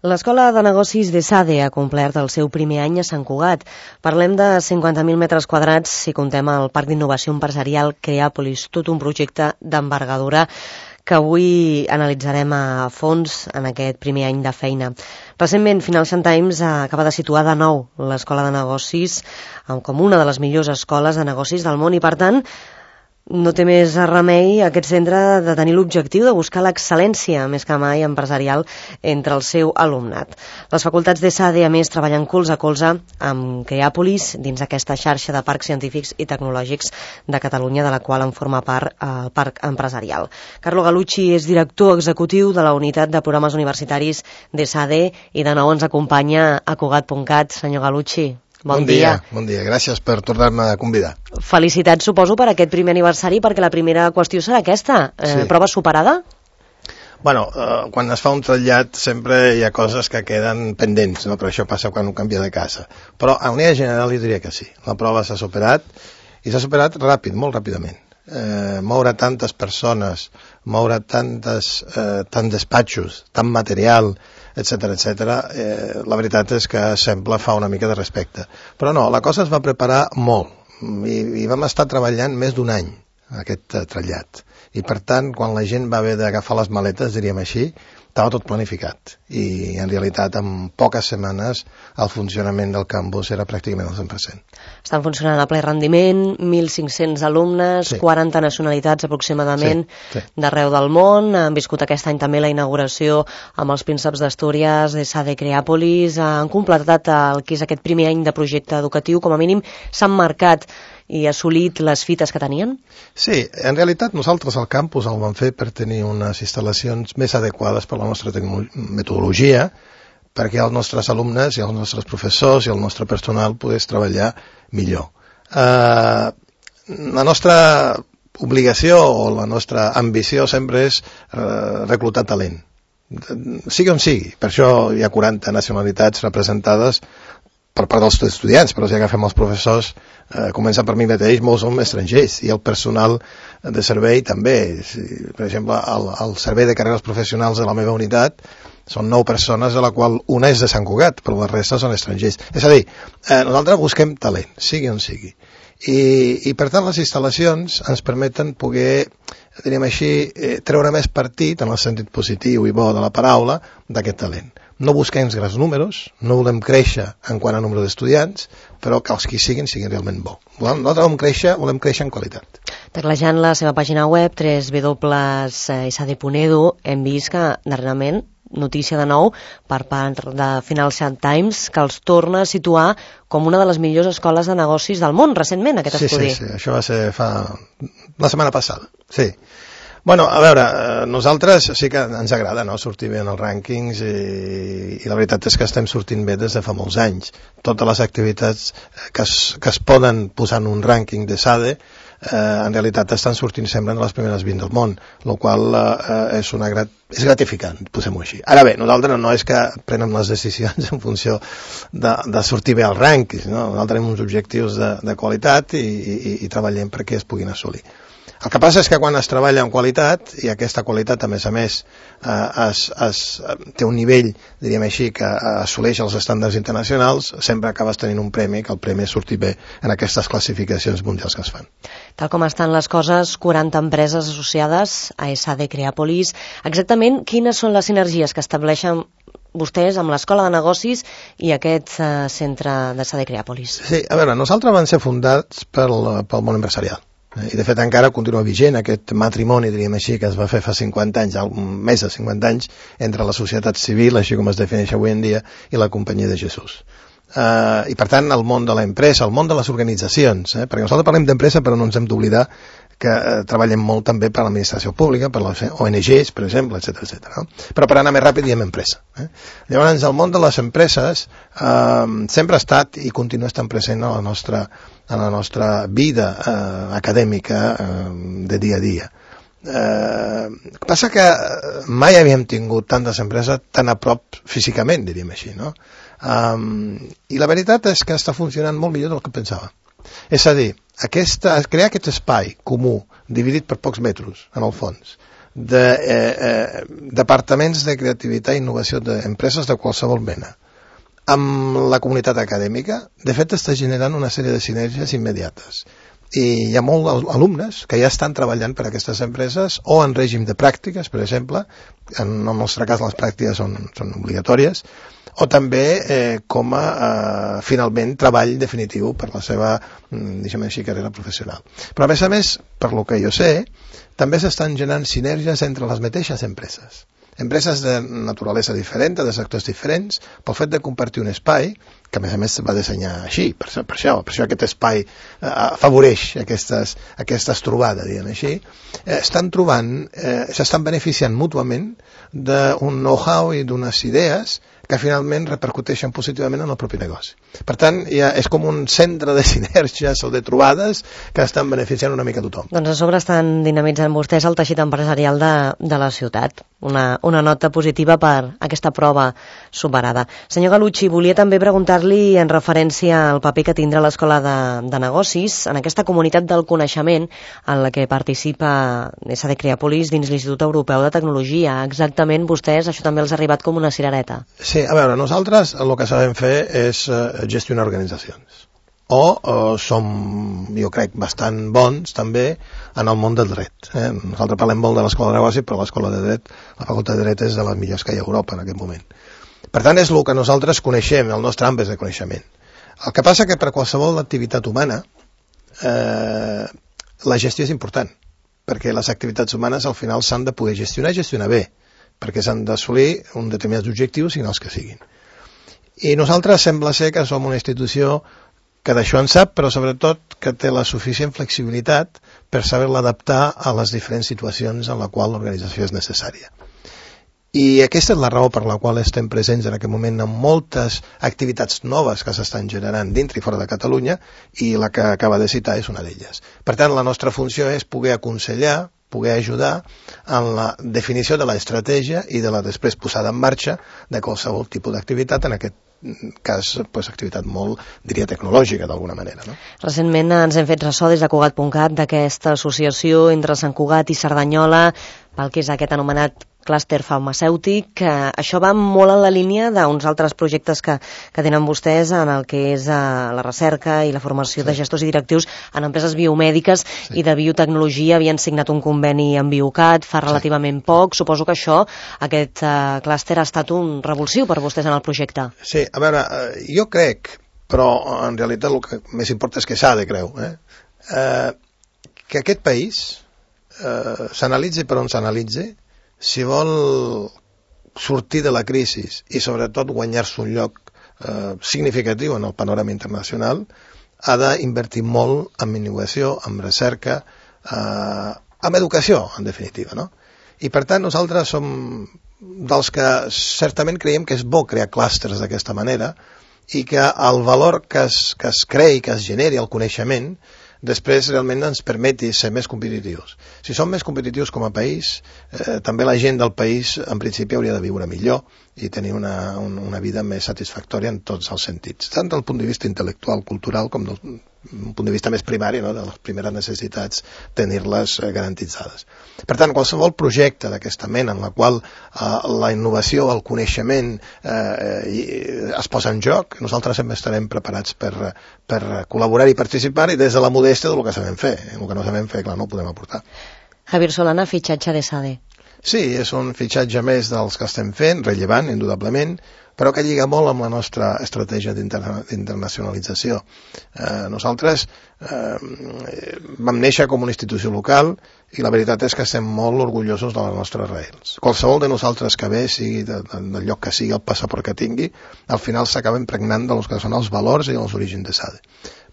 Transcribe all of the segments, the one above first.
L'Escola de Negocis d'ESADE ha complert el seu primer any a Sant Cugat. Parlem de 50.000 metres quadrats si comptem el Parc d'Innovació Empresarial Creàpolis, tot un projecte d'envergadura que avui analitzarem a fons en aquest primer any de feina. Recentment, Financial Times acaba de situar de nou l'Escola de Negocis com una de les millors escoles de negocis del món i, per tant, no té més remei aquest centre de tenir l'objectiu de buscar l'excel·lència, més que mai empresarial, entre el seu alumnat. Les facultats d'ESADE, a més, treballen colze a colze amb Creàpolis dins aquesta xarxa de parcs científics i tecnològics de Catalunya, de la qual en forma part el parc empresarial. Carlo Galucci és director executiu de la unitat de programes universitaris d'ESADE i de nou ens acompanya a Cugat.cat. Senyor Galucci, bon dia. Bon dia, gràcies per tornar-me a convidar. Felicitats, suposo, per aquest primer aniversari, perquè la primera qüestió serà aquesta. Sí. Prova superada? Bueno, quan es fa un trasllat sempre hi ha coses que queden pendents, no? Però això passa quan un canvia de casa. Però a manera general jo diria que sí. La prova s'ha superat, i s'ha superat ràpid, molt ràpidament. Moure tantes persones, moure tants despatxos, tant material, etcètera, la veritat és que sembla fa una mica de respecte. Però no, la cosa es va preparar molt i vam estar treballant més d'un any aquest trasllat. I per tant, quan la gent va haver d'agafar les maletes, diríem així, estava tot planificat. I en realitat, en poques setmanes, el funcionament del campus era pràcticament al 100%. Estan funcionant a ple rendiment, 1.500 alumnes, sí. 40 nacionalitats aproximadament, sí. d'arreu del món. Han viscut aquest any també la inauguració amb els prínceps d'Astúries, d'ESADE Creàpolis. Han completat el que és aquest primer any de projecte educatiu. Com a mínim s'han marcat i assolit les fites que tenien? Sí, en realitat nosaltres al campus el vam fer per tenir unes instal·lacions més adequades per la nostra metodologia, perquè els nostres alumnes i els nostres professors i el nostre personal pogués treballar millor. La nostra obligació o la nostra ambició sempre és reclutar talent, sigui on sigui. Per això hi ha 40 nacionalitats representades per part dels estudiants, però si agafem els professors, començant per mi mateix, molts són estrangers, i el personal de servei també. Per exemple, el servei de carreres professionals de la meva unitat són 9 persones, de la qual una és de Sant Cugat, però la resta són estrangers. És a dir, nosaltres busquem talent, sigui on sigui. I per tant les instal·lacions ens permeten poder, diríem així, treure més partit, en el sentit positiu i bo de la paraula, d'aquest talent. No busquem grans números, no volem créixer en quant a nombre d'estudiants, però que els que siguin realment bo. Nosaltres volem créixer en qualitat. Teclejant la seva pàgina web, www.esade.edu, hem vist que darrerament, notícia de nou per part de Financial Times, que els torna a situar com una de les millors escoles de negocis del món, recentment, aquest estudi. Sí, això va ser la setmana passada, sí. Bueno, a veure, nosaltres sí que ens agrada, no?, sortir bé en els rànquings i la veritat és que estem sortint bé des de fa molts anys. Totes les activitats que es poden posar en un rànquing d'ESADE en realitat estan sortint sempre de les primeres 20 del món, el qual és gratificant, posem-ho així. Ara bé, nosaltres no és que prenem les decisions en funció de sortir bé als rànquings, no? Nosaltres tenim uns objectius de qualitat i treballem perquè es puguin assolir. El que passa és que quan es treballa en qualitat, i aquesta qualitat, a més, té un nivell, diríem així, que assoleix els estàndards internacionals, sempre acabes tenint un premi, que el premi és sortir bé en aquestes classificacions mundials que es fan. Tal com estan les coses, 40 empreses associades a ESADE Creàpolis. Exactament quines són les sinergies que estableixen vostès amb l'Escola de Negocis i aquest centre d'ESADE Creàpolis? Sí, a veure, nosaltres vam ser fundats pel món empresarial. I de fet encara continua vigent aquest matrimoni, diríem així, que es va fer fa 50 anys, més de 50 anys, entre la societat civil, així com es defineix avui en dia, i la Companyia de Jesús. I per tant el món de l'empresa, el món de les organitzacions, perquè nosaltres parlem d'empresa però no ens hem d'oblidar que treballem molt també per l'administració pública, per les ONGs, per exemple, etc. No? Però per anar més ràpid diem empresa. Llavors el món de les empreses sempre ha estat i continua estant present a la nostra vida acadèmica de dia a dia. Passa que mai havíem tingut tantes empreses tan a prop físicament, diríem així, no? I la veritat és que està funcionant molt millor del que pensava. És a dir, crear aquest espai comú, dividit per pocs metres, en el fons, de departaments de creativitat i innovació d'empreses de qualsevol mena amb la comunitat acadèmica, de fet està generant una sèrie de sinergies immediates. I hi ha molts alumnes que ja estan treballant per a aquestes empreses o en règim de pràctiques, per exemple, en el nostre cas les pràctiques són obligatòries, o també com a finalment treball definitiu per la seva, deixem així, carrera professional. Però a més, per lo que jo sé, també s'estan generant sinergies entre les mateixes empreses de naturalesa diferent, de sectors diferents, pel fet de compartir un espai, que a més va dissenyar així, per això aquest espai afavoreix aquestes trobades, diguem així, s'estan beneficiant mútuament d'un know-how i d'unes idees que finalment repercuteixen positivament en el propi negoci. Per tant, és com un centre de sinergies o de trobades que estan beneficiant una mica tothom. Doncs a sobre estan dinamitzant vostès el teixit empresarial de la ciutat. Una nota positiva per aquesta prova superada. Senyor Gallucci, volia també preguntar-li en referència al paper que tindrà l'Escola de Negocis en aquesta comunitat del coneixement en la que participa SD Creapolis dins l'Institut Europeu de Tecnologia. Exactament, vostès, això també els ha arribat com una cirereta. Sí, a veure, nosaltres el que sabem fer és gestionar organitzacions. O som, jo crec, bastant bons també en el món del dret. Nosaltres parlem molt de l'Escola de Negocis, però l'Escola de Dret, la Facultat de Dret és de les millors que hi ha a Europa en aquest moment. Per tant, és el que nosaltres coneixem, el nostre àmbit de coneixement. El que passa que per qualsevol activitat humana la gestió és important, perquè les activitats humanes al final s'han de poder gestionar i gestionar bé, perquè s'han d'assolir uns determinats objectius, siguin els que siguin. I nosaltres sembla ser que som una institució que d'això en sap, però sobretot que té la suficient flexibilitat per saber-la adaptar a les diferents situacions en la qual l'organització és necessària. I aquesta és la raó per la qual estem presents en aquest moment en moltes activitats noves que s'estan generant dintre i fora de Catalunya, i la que acaba de citar és una d'elles. Per tant, la nostra funció és poder aconsellar, poder ajudar en la definició de l'estratègia i de la després posada en marxa de qualsevol tipus d'activitat, en aquest cas, activitat molt, diria, tecnològica, d'alguna manera. No? Recentment ens hem fet ressò des de Cugat.cat d'aquesta associació entre Sant Cugat i Cerdanyola pel que és aquest anomenat clúster farmacèutic. Això va molt en la línia d'uns altres projectes que tenen vostès en el que és la recerca i la formació de gestors i directius en empreses biomèdiques i de biotecnologia. Havien signat un conveni amb Biocat fa relativament poc. Suposo que aquest clúster ha estat un revulsiu per vostès en el projecte. Sí, a veure, jo crec, però en realitat el que més importa és que s'ha de creure, que aquest país s'analitzi per on s'analitzi, si vol sortir de la crisi i sobretot guanyar-se un lloc significatiu en el panorama internacional, ha d'invertir molt en innovació, en recerca, en educació, en definitiva, no? I per tant nosaltres som dels que certament creiem que és bo crear clústers d'aquesta manera i que el valor que es creï, que es generi el coneixement, després realment ens permeti ser més competitius. Si som més competitius com a país, també la gent del país en principi hauria de viure millor i tenir una vida més satisfactòria en tots els sentits, tant del punt de vista intel·lectual, cultural, com del punt de vista més primari, no? De les primeres necessitats, tenir-les garantitzades. Per tant, qualsevol projecte d'aquesta mena en la qual la innovació, el coneixement es posa en joc, nosaltres sempre estarem preparats per col·laborar i participar, i des de la modèstia del que sabem fer. El que no sabem fer, clar, no ho podem aportar. Javier Solana, fitxatge de SADE. Sí, és un fitxatge més dels que estem fent, rellevant, indudablement, però que lliga molt amb la nostra estratègia d'internacionalització. Nosaltres vam néixer com una institució local i la veritat és que estem molt orgullosos de les nostres raïls. Qualsevol de nosaltres que ve, sigui del lloc que sigui, el passaport que tingui, al final s'acaba impregnant dels que són els valors i els orígens de SADE.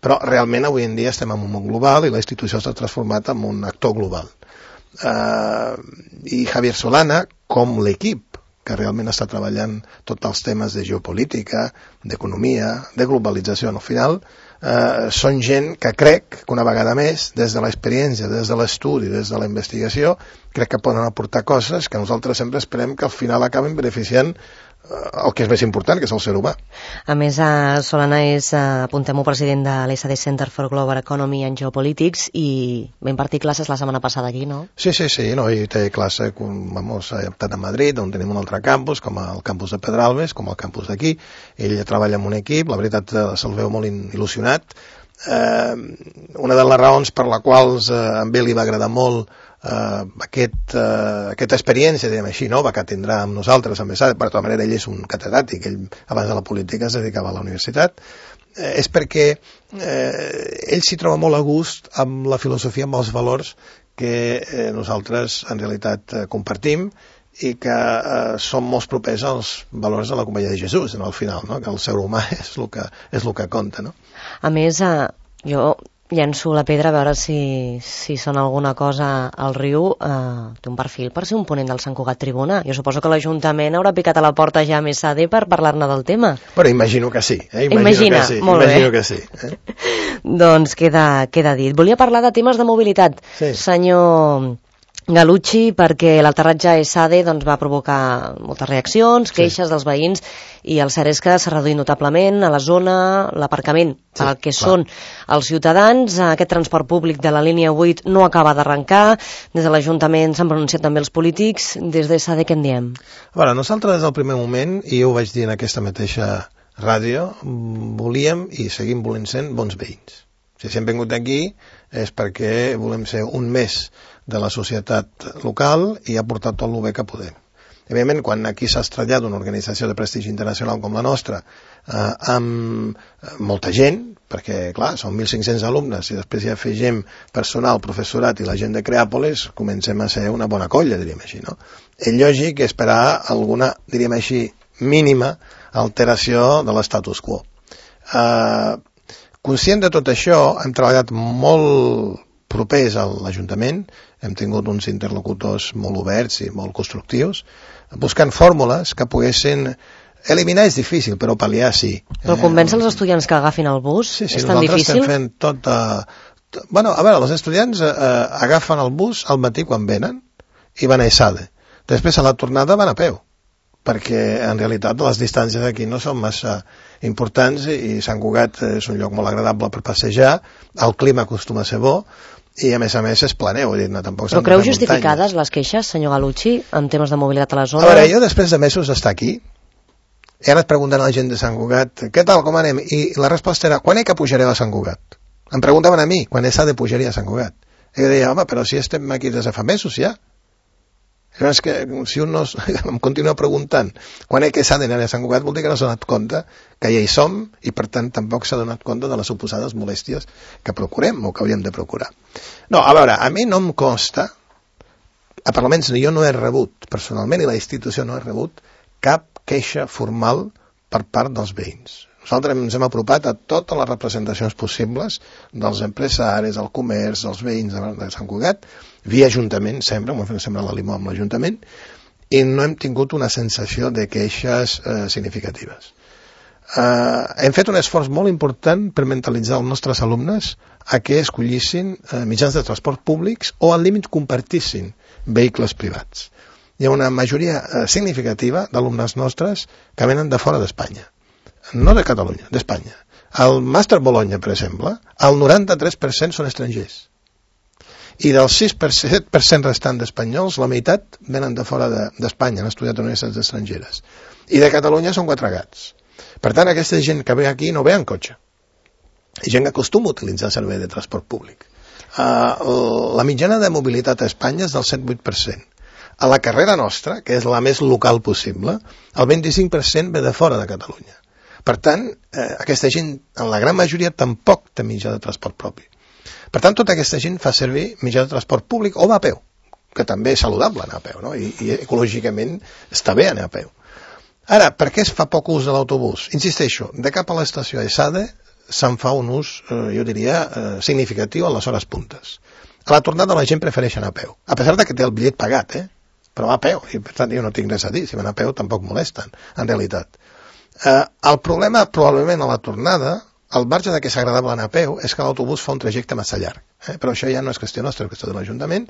Però realment avui en dia estem en un món global i la institució s'ha transformat en un actor global. I Javier Solana, com l'equip que realment està treballant tots els temes de geopolítica, d'economia, de globalització, al final, són gent que crec que una vegada més, des de l'experiència, des de l'estudi, des de la investigació, crec que poden aportar coses que nosaltres sempre esperem que al final acaben beneficiant el que és més important, que és el ser humà. A més, Solana és, apuntem-ho, president de l'SD Center for Global Economy and Geopolitics i va impartir classes la setmana passada aquí, no? Sí, no, i té classe, tant a Madrid, on tenim un altre campus, com el campus de Pedralbes, com el campus d'aquí. Ell treballa amb un equip, la veritat se'l veu molt il·lusionat. Una de les raons per la qual a ell li va agradar molt aquesta experiència, diguem així, nova que tindrà amb nosaltres, amb ESADE, per tota manera ell és un catedràtic, ell abans de la política es dedicava a la universitat, és perquè ell s'hi troba molt a gust amb la filosofia, amb els valors que nosaltres en realitat compartim i que són molt propers als valors de la Companyia de Jesús, al final, no? Que el ser humà és el que compta, no? A més, jo llenço la pedra a veure si sona alguna cosa al riu. Té un perfil per ser un ponent del Sant Cugat Tribuna. Jo suposo que l'Ajuntament haurà picat a la porta ja a ESADE per parlar-ne del tema. Però imagino que sí. Imagino que sí. Doncs queda dit. Volia parlar de temes de mobilitat, sí. Senyor Galucci, perquè l'aterratge a ESADE doncs, va provocar moltes reaccions, queixes dels veïns, i el cert és que s'ha reduït notablement a la zona l'aparcament per al que són els ciutadans. Aquest transport públic de la línia 8 no acaba d'arrencar. Des de l'Ajuntament s'han pronunciat també els polítics. Des d'ESADE què en diem? Bueno, nosaltres des del primer moment, i jo ho vaig dir en aquesta mateixa ràdio, volíem i seguim volent ser bons veïns. Si hem vingut aquí és perquè volem ser un més de la societat local i aportar tot el bé que podem. Evidentment, quan aquí s'ha estrellat una organització de prestigi internacional com la nostra, amb molta gent, perquè, clar, són 1.500 alumnes, i després ja afegim personal, professorat i la gent de Creàpolis, comencem a ser una bona colla, diríem així, no? És lògic esperar alguna, diríem així, mínima alteració de l'estatus quo. Conscient de tot això, hem treballat molt propers a l'Ajuntament, hem tingut uns interlocutors molt oberts i molt constructius, buscant fórmules que poguessin eliminar és difícil, però pal·liar sí. Però convèncer els estudiants que agafin el bus és tan difícil? Sí, nosaltres estem fent Bueno, a veure, els estudiants agafen el bus al matí quan venen i van a ESADE. Després a la tornada van a peu, perquè en realitat les distàncies aquí no són massa importants i Sant Cugat és un lloc molt agradable per passejar, el clima acostuma a ser bo, i a més és planer, vull dir, no, tampoc s'han de fer muntanyes. Però creu justificades les queixes, senyor Galucci, en temes de mobilitat a la zona? A veure, jo després de mesos d'estar aquí, he anat preguntant a la gent de Sant Cugat, què tal, com anem? I la resposta era, quan que pujareu a Sant Cugat? Em preguntaven a mi, quan ESADE pujaria a Sant Cugat. I jo deia, home, però si estem aquí des de fa mesos ja. És que si un no em continua preguntant quan que s'ha d'anar a Sant Cugat, vol dir que no s'ha donat compte que ja hi som i per tant tampoc s'ha donat compte de les suposades molèsties que procurem o que hauríem de procurar. No, a veure, a mi no em consta, almenys jo no he rebut personalment i la institució no ha rebut cap queixa formal per part dels veïns. Nosaltres ens hem apropat a totes les representacions possibles dels empresaris, del comerç, dels veïns de Sant Cugat, via Ajuntament, sempre, m'ho hem fet sempre la limó amb l'Ajuntament, i no hem tingut una sensació de queixes significatives. Hem fet un esforç molt important per mentalitzar els nostres alumnes a que escollissin mitjans de transport públics o al límit compartissin vehicles privats. Hi ha una majoria significativa d'alumnes nostres que venen de fora d'Espanya. No de Catalunya, d'Espanya. Al Màster Bologna, per exemple, el 93% són estrangers. I del 6% restant d'espanyols, la meitat venen de fora d'Espanya, han estudiat a universitats estrangeres. I de Catalunya són 4 gats. Per tant, aquesta gent que ve aquí no ve en cotxe. És gent que acostuma a utilitzar servei de transport públic. La mitjana de mobilitat a Espanya és del 7-8%. A la carrera nostra, que és la més local possible, el 25% ve de fora de Catalunya. Per tant, aquesta gent, en la gran majoria, tampoc té mitjà de transport propi. Per tant, tota aquesta gent fa servir mitjà de transport públic o va a peu, que també és saludable anar a peu, no? I ecològicament està bé anar a peu. Ara, per què es fa poc ús de l'autobús? Insisteixo, de cap a l'estació ESADE se'n fa un ús, jo diria, significatiu a les hores puntes. A la tornada la gent prefereix anar a peu, a pesar de que té el bitllet pagat, però va a peu, i per tant jo no tinc res a dir, si van a peu tampoc molesten, en realitat. El problema, probablement, a la tornada, al marge de que és agradable anar a peu, és que l'autobús fa un trajecte massa llarg. Però això ja no és qüestió nostra, és qüestió de l'Ajuntament,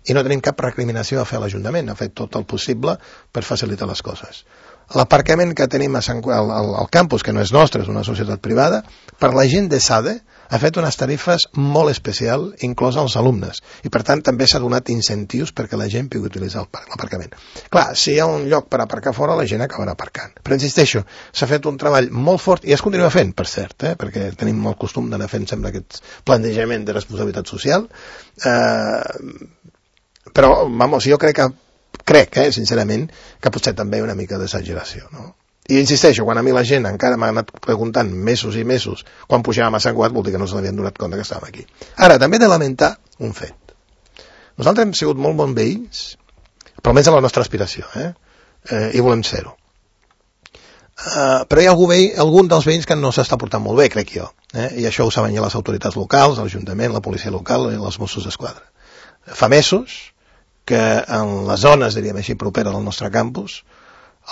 i no tenim cap recriminació a fer a l'Ajuntament, ha fet tot el possible per facilitar les coses. l'aparcament que tenim al campus, que no és nostre, és una societat privada, per la gent de SADE ha fet unes tarifes molt especials, inclòs als alumnes, i per tant també s'ha donat incentius perquè la gent pugui utilitzar l'aparcament. Clar, si hi ha un lloc per aparcar fora, la gent acabarà aparcant. Però insisteixo, s'ha fet un treball molt fort, i es continua fent, per cert, perquè tenim el costum d'anar fent sempre aquest plantejament de responsabilitat social, però, vamos, jo crec, sincerament, que potser també una mica d'exageració, no? I insisteixo, quan a mi la gent encara m'ha anat preguntant mesos i mesos quan pujàvem a Sant Cugat, vol dir que no se n'havien donat compte que estàvem aquí. Ara, també he de lamentar un fet. Nosaltres hem sigut molt bons veïns, però almenys a la nostra aspiració, i volem ser-ho. Però hi ha algun dels veïns que no s'està portant molt bé, crec jo, i això ho saben ja les autoritats locals, l'Ajuntament, la policia local i els Mossos d'Esquadra. Fa mesos que en les zones, diríem així, properes al nostre campus,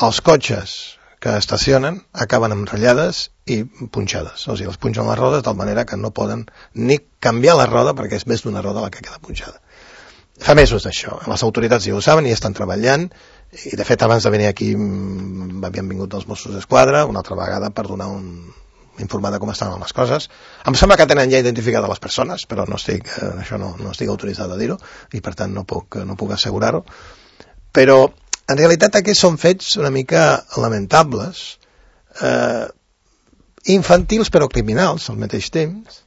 els cotxes que estacionen acaben amb ratllades i punxades. O sigui, els punxen les rodes de manera que no poden ni canviar la roda perquè és més d'una roda la que queda punxada. Fa mesos d'això. Les autoritats ja ho saben i estan treballant, i de fet abans de venir aquí havien vingut els Mossos d'Esquadra una altra vegada per donar informar de com estaven les coses. Em sembla que tenen ja identificades les persones, però no estic autoritzat a dir-ho i per tant no puc assegurar-ho. Però en realitat aquests són fets una mica lamentables, infantils però criminals al mateix temps,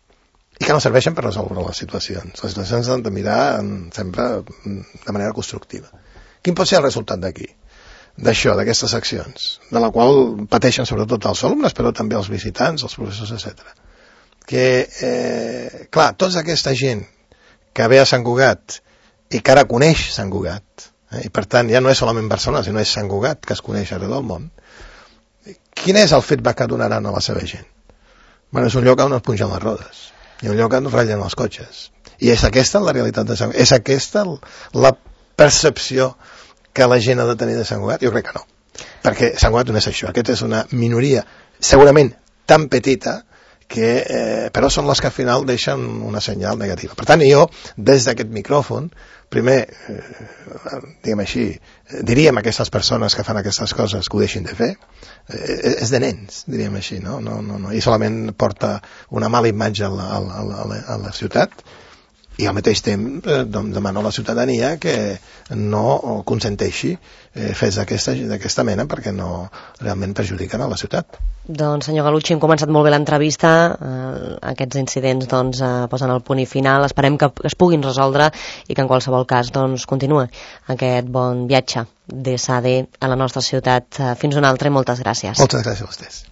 i que no serveixen per resoldre les situacions. Les situacions s'han de mirar sempre de manera constructiva. Quin pot ser el resultat d'aquí? D'això, d'aquestes accions, de la qual pateixen sobretot els alumnes, però també els visitants, els professors, etc. Que, clar, tota aquesta gent que ve a Sant Cugat i que ara coneix Sant Cugat, i per tant ja no és solament Barcelona, sinó és Sant Cugat, que es coneix arreu del món, quin és el feedback que donaran a la seva gent? Bueno, és un lloc on es punxen les rodes, i un lloc on es ratllen els cotxes. I és aquesta la realitat de Sant Cugat? És aquesta la percepció que la gent ha de tenir de Sant Cugat? Jo crec que no. Perquè Sant Cugat no és això. Aquesta és una minoria segurament tan petita que, però són les que al final deixen una senyal negativa. Per tant, jo, des d'aquest micròfon, primer, diguem així, diríem a aquestes persones que fan aquestes coses que ho deixin de fer, és de nens, diríem així, no? I solament porta una mala imatge a la ciutat, i al mateix temps demano a la ciutadania que no consenteixi fets d'aquesta mena perquè no realment perjudiquen a la ciutat. Doncs senyor Gallucci, hem començat molt bé l'entrevista, aquests incidents posen el punt i final, esperem que es puguin resoldre i que en qualsevol cas continua aquest bon viatge de SADE a la nostra ciutat. Fins una altra i moltes gràcies. Moltes gràcies a vostès.